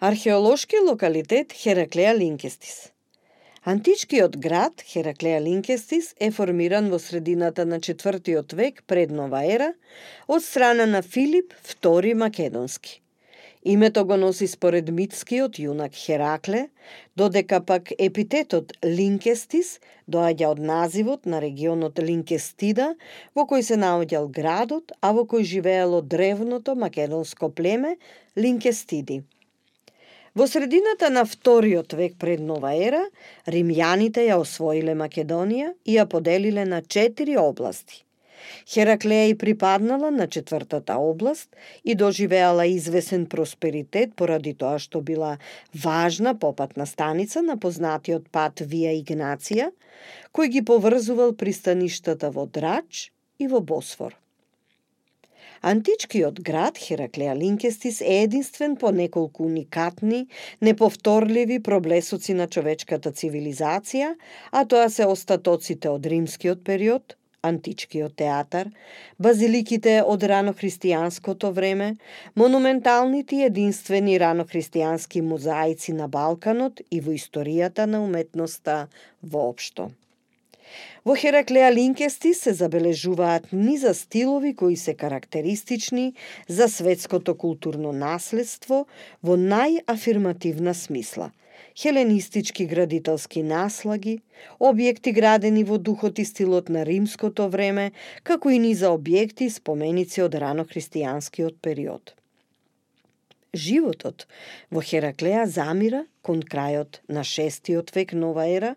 Археолошки локалитет Хераклеа Линкестис. Античкиот град Хераклеа Линкестис е формиран во средината на 4 век пред нова ера од страна на Филип II Македонски. Името го носи според митскиот јунак Херакле, додека пак епитетот Линкестис доаѓа од називот на регионот Линкестида, во кој се наоѓал градот, а во кој живеело древното македонско племе Линкестиди. Во средината на 2 век пред нова ера, римјаните ја освоиле Македонија и ја поделиле на 4 области. Хераклеа и припаднала на 4-та област и доживеала извесен просперитет поради тоа што била важна попатна станица на познатиот пат Вија Игнација, кој ги поврзувал пристаништата во Драч и во Босфор. Античкиот град Хераклеа Линкестис е единствен по неколку уникатни, неповторливи проблесоци на човечката цивилизација, а тоа се остатоците од римскиот период, античкиот театар, базиликите од ранохристијанското време, монументалните и единствени ранохристијански мозаици на Балканот и во историјата на уметноста воопшто. Во Хераклеа Линкестис се забележуваат низа стилови кои се карактеристични за светското културно наследство во најафирмативна смисла. Хеленистички градителски наслаги, објекти градени во духот и стилот на римското време, како и низа објекти и споменици од ранохристијанскиот период. Животот во Хераклеа замира кон крајот на 6 век нова ера,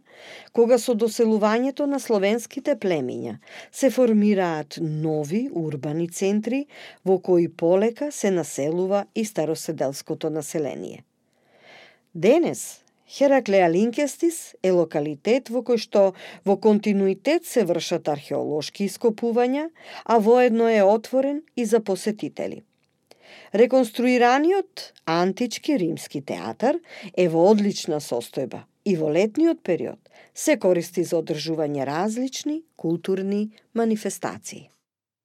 кога со доселувањето на словенските племиња се формираат нови урбани центри во кои полека се населува и староседелското население. Денес Хераклеа Линкестис е локалитет во кој што во континуитет се вршат археолошки ископувања, а воедно е отворен и за посетители. Реконструираниот антички римски театар е во одлична состојба и во летниот период се користи за одржување различни културни манифестации.